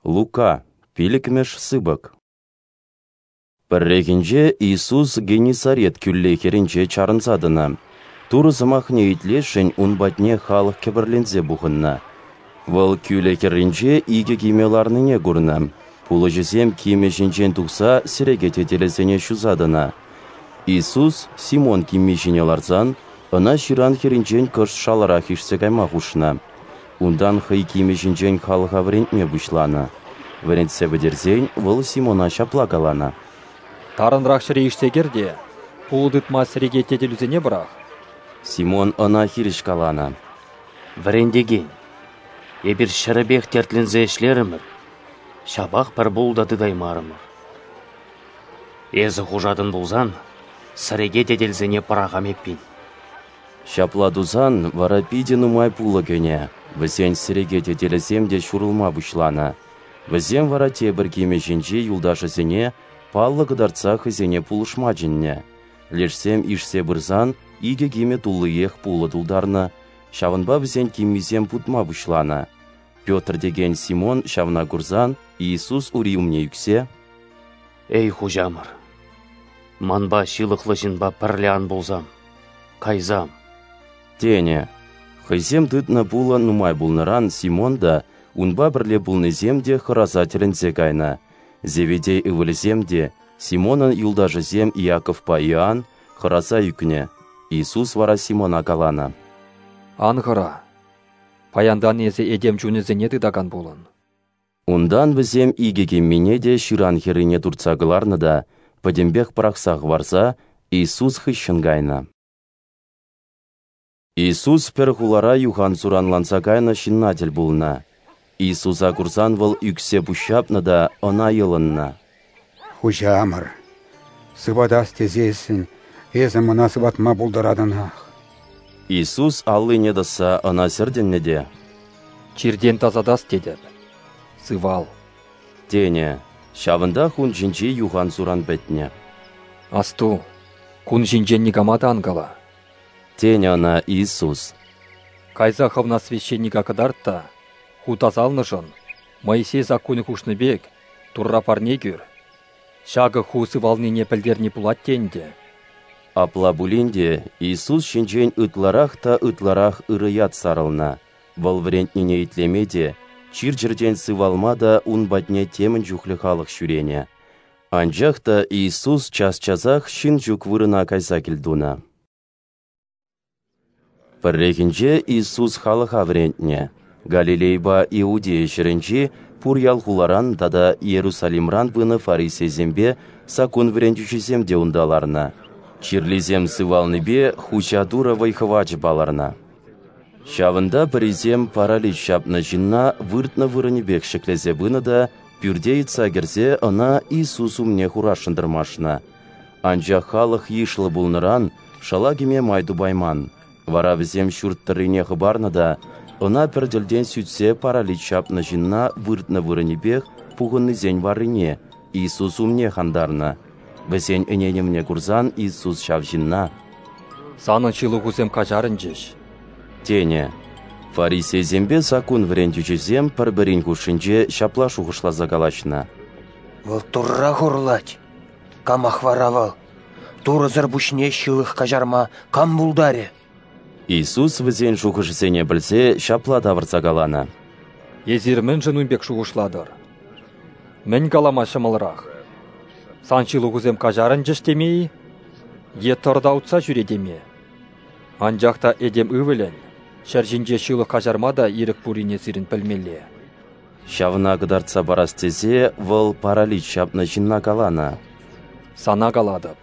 Лука, пиллӗкмӗш сыпӑк. Пӗррехинче Иисус Геннисарет кӳлли хӗрринче чарӑнса тӑнӑ. Турӑ сӑмахне итлесшӗн ун патне халӑх кӗпӗрленсе пухӑннӑ. Вӑл кӳлӗ хӗрринче икӗ кимӗ ларнине курнӑ. Пулӑҫӑсем кимӗ ҫинчен тухса сӗреке тетелӗсене ҫуса тӑнӑ. Иисус Симон кимми ҫине ларсан, ӑна ҫыран хӗрринчен кӑшт шаларах ишсе кайма хушнӑ. Унтан хӑй кимӗ ҫинчен халӑха вӗрентме пуҫланӑ. Вӗрентсе пӗтерсен вӑл Симона ҫапла каланӑ: «Тарӑнрах ҫӗре ишсе кӗр те пулӑ тытма сӗреке тетелӳсене пӑрах». Симон ӑна хирӗҫ каланӑ: «Вӗрентекен, эпир ҫӗрӗпех тертленсе ӗҫлерӗмӗр, ҫапах пӗр пулӑ та тытаймарӑмӑр. Эсӗ хушатӑн пулсан сӗреке тетелсене пӑрахам эппин». Ҫапла тусан вара питӗ нумай пулӑ кӗнӗ, вӗсен сӗреке тетелӗсем те ҫурӑлма пуҫланӑ. Вӗсем вара тепӗр кимӗ ҫинчи юлташӗсене паллӑ кӑтартса хӑйсене пулӑшма чӗннӗ. Лешсем ишсе пырсан икӗ кимӗ туллиех пулӑ тултарнӑ, ҫавӑнпа вӗсен киммисем путма пуҫланӑ. Петр текен Симон ҫавна курсан Иисус ури умне ӳксе: «Эй, Хуҫамӑр, манпа, ҫылӑхлӑ ҫынпа, пӗрле ан пулсам, кайсам», тенӗ. Хӑйсем тытнӑ пулӑ нумай пулнӑран Симон та, унпа пӗрле пулнисем те хӑраса тӗлӗнсе кайнӑ. Зеведей ывӑлӗсем те, Симонӑн юлташӗсем Иаковпа Иоанн, хӑраса ӳкнӗ. Иисус вара Симона каланӑ: «Ан хӑра, паянтан эсӗ этем чунӗсене тытакан пулӑн». Унтан вӗсем икӗ киммине те ҫыран хӗррине туртса кӑларнӑ та пӗтӗмпех пӑрахса хӑварса Иисус хыҫҫӑн кайнӑ. Иисус пӗр хулара юхан-суранланса кайнӑ ҫынна тӗл пулнӑ. Иисуса курсан вӑл ӳксе пуҫҫапнӑ та ӑна йӑлӑннӑ: «Хуҫамӑр, сыватас тесессӗн эсӗ мана сыватма пултаратӑнах». Иисус аллине тӑсса ӑна сӗртӗннӗ те: «Чиртен тасатас тетӗп, сывал», тенӗ. Ҫавӑнтах ун ҫинчи юхан-суран пӗтнӗ. «Асту, кун ҫинчен никама та ан кала», тенӗ ӑна Иисус. «Кайса хӑвна священника кӑтарт та ху тасалнӑшӑн, Моисей саккунӗ хушнӑ пек, Турра парне кӳр. Ҫакӑ ху сывалнине пӗлтерни пулать те ӗнтӗ». Апла пулин те Иисус ҫинчен ытларах та ытларах ырӑ ят сарӑлнӑ. Вӑл вӗрентнине итлеме те, чир-чӗртен сывалма та ун патне темӗн чухлӗ халӑх ҫӳренӗ. Анчах та Иисус час-часах ҫын ҫук вырӑна кайса кӗлтунӑ. Пӗррехинче Иисус халӑха вӗрентнӗ. Галилейӑпа Иудея ҫӗрӗнчи пур ял-хуларан тата Иерусалимран пынӑ фарисейсемпе саккун вӗрентӳҫисем те унта ларнӑ. Чирлисем сывалнипе Хуҫа Турӑ вӑй-хӑвачӗ палӑрнӑ. Ҫавӑнта пӗрисем паралич ҫапнӑ ҫынна выртнӑ вырӑнӗпех ҫӗклесе пынӑ та пӳрте йӑтса кӗрсе ӑна Иисус умне хурасшӑн тӑрмашнӑ. Анчах халӑх йышлӑ пулнӑран шала кӗме май тупайман. Вара вӗсем ҫурт тӑррине хӑпарнӑ та ӑна пӗр тӗлтен сӳтсе паралич ҫапнӑ ҫынна выртнӑ вырӑнӗпех пухӑннисен варрине, Иисус умне хантарнӑ. Вӗсен ӗненӗвне курсан Иисус ҫав ҫынна: «Санӑн ҫылӑхусем каҫарӑнчӗҫ», тенӗ. Фарисейсемпе саккун вӗрентӳҫисем пӗр-пӗрин хушшинче ҫапла шухӑшласа калаҫнӑ: «Вӑл Турра хурлать. Камах вара вӑл? Турӑсӑр пуҫне ҫылӑх каҫарма кам пултарӗ?» Иисус вӗсен шухӑшӗсене пӗлсе ҫапла тавӑрса каланӑ: «Эсир мӗншӗн ун пек шухӑшлатӑр? Мӗн калама ҫӑмӑлрах? Сан ҫылӑхусем каҫарӑнчӗҫ теме-и? Е тӑр та утса ҫӳре теме? Анчах та этем ывӑлӗн ҫӗр ҫинче ҫылӑх каҫарма та ирӗк пуррине сирӗн пӗлмелле». Ҫавна кӑтартса парас тесе вӑл паралич ҫапнӑ ҫынна каланӑ: «Сана калатӑп,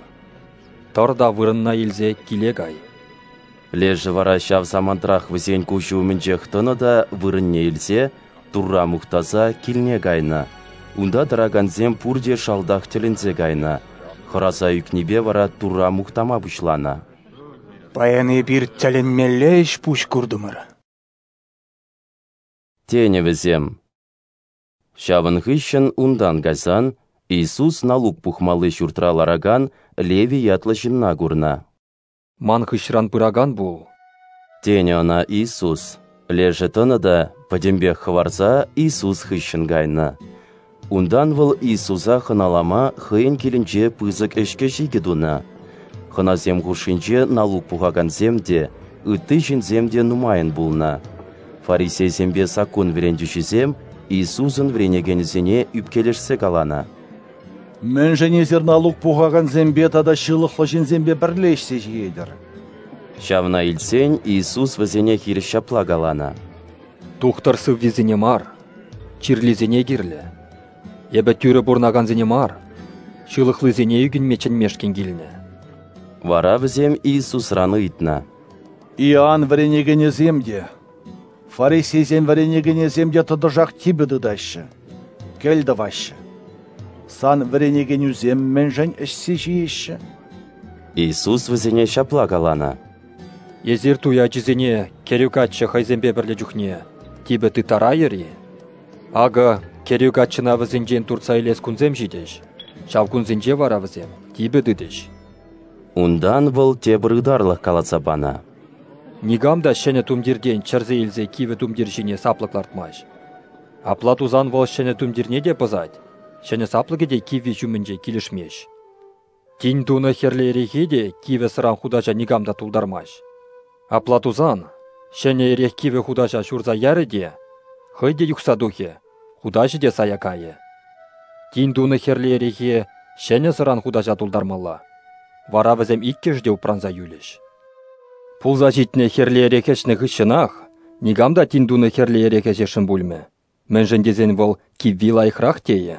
тӑр та вырӑнна илсе киле кай». Лешӗ вара ҫав самантрах вӗсен куҫӗ умӗнчех тӑнӑ та вырӑнне илсе, Турра мухтаса, килне кайнӑ. Унта тӑракансем пурте шалтах тӗлӗнсе кайнӑ. Хӑраса ӳкнипе вара Турра мухтама пуҫланӑ. «Паян эпир тӗлӗнмелле ӗҫ-пуҫ куртӑмӑр», тенӗ вӗсем. Ҫавӑн хыҫҫӑн унтан кайсан Иисус налук пухмалли ҫуртра ларакан Левий ятлӑ ҫынна курнӑ. «Ман хыҫран пыракан пул», тенӗ ӑна Иисус. Лешӗ тӑнӑ та пӗтӗмпех хӑварса Иисус хыҫҫӑн кайнӑ. Унтан вӑл Иисуса хӑналама хӑйӗн килӗнче пысӑк ӗҫкӗ-ҫикӗ тунӑ. Хӑнасем хушшинче налук пухакансем те, ытти ҫынсем те нумайӑн пулнӑ. Фарисейсемпе саккун вӗрентӳҫисем Иисусӑн вӗренекенӗсене ӳпкелешсе каланӑ: «Мӗншӗн эсир налук пухакансемпе тата ҫылӑхлӑ ҫынсемпе пӗрле ӗҫсе ҫиетӗр?» Ҫавна илтсен Иисус вӗсене хирӗҫ ҫапла каланӑ: «Тухтӑр сыввисене мар, чирлисене кирлӗ. Эпӗ тӳрӗ пурӑнакансене мар, ҫылӑхлисене ӳкӗнме чӗнмешкӗн килнӗ». Вара вӗсем Иисусран ыйтнӑ: «Иоанн вӗренекенӗсем те, фарисейсен вӗренекенӗсем те тӑтӑшах типӗ тытаҫҫӗ, кӗл тӑваҫҫӗ. Сан вӗренекенӳсем мӗншӗн ӗҫсе ҫиеҫҫӗ?» Иисус вӗсене ҫапла каланӑ: «Эсир туй ачисене кӗрӳ каччӑ хӑйсемпе пӗрле чухне типӗ тыттарайӑр-и? Акӑ кӗрӳ каччӑна вӗсенчен туртса илес кунсем ҫитӗҫ, ҫав кунсенче вара вӗсем типӗ тытӗҫ». Унтан вӑл тепӗр ытарлӑх каласа панӑ: «Никам та ҫӗнӗ тумтиртен чӗрсе илсе кивӗ тумтир ҫине саплӑк лартмасть. Апла тусан вӑл ҫӗнӗ тумтирне те пӑсать, ҫӗнӗ саплӑкӗ те кивви ҫумӗнче килӗшмест. Тин тунӑ хӗрлӗ эрехе те кивӗ сӑран хутаҫа никам та тултармасть. Апла тусан ҫӗнӗ эрех кивӗ хутаҫа ҫурса ярӗ те, хӑй те юхса тухӗ, хутаҫӗ те сая кайӗ. Тин тунӑ хӗрлӗ эрехе ҫӗнӗ сӑран хутаҫа тултармалла, вара вӗсем иккӗшӗ те упранса юлӗҫ. Пулса ҫитнӗ хӗрлӗ эрех ӗҫнӗ хыҫҫӑнах никам та тин тунӑ хӗрлӗ эрех ӗҫесшӗн пулмӗ, мӗншӗн тесен вӑл кивви лайӑхрах тейӗ».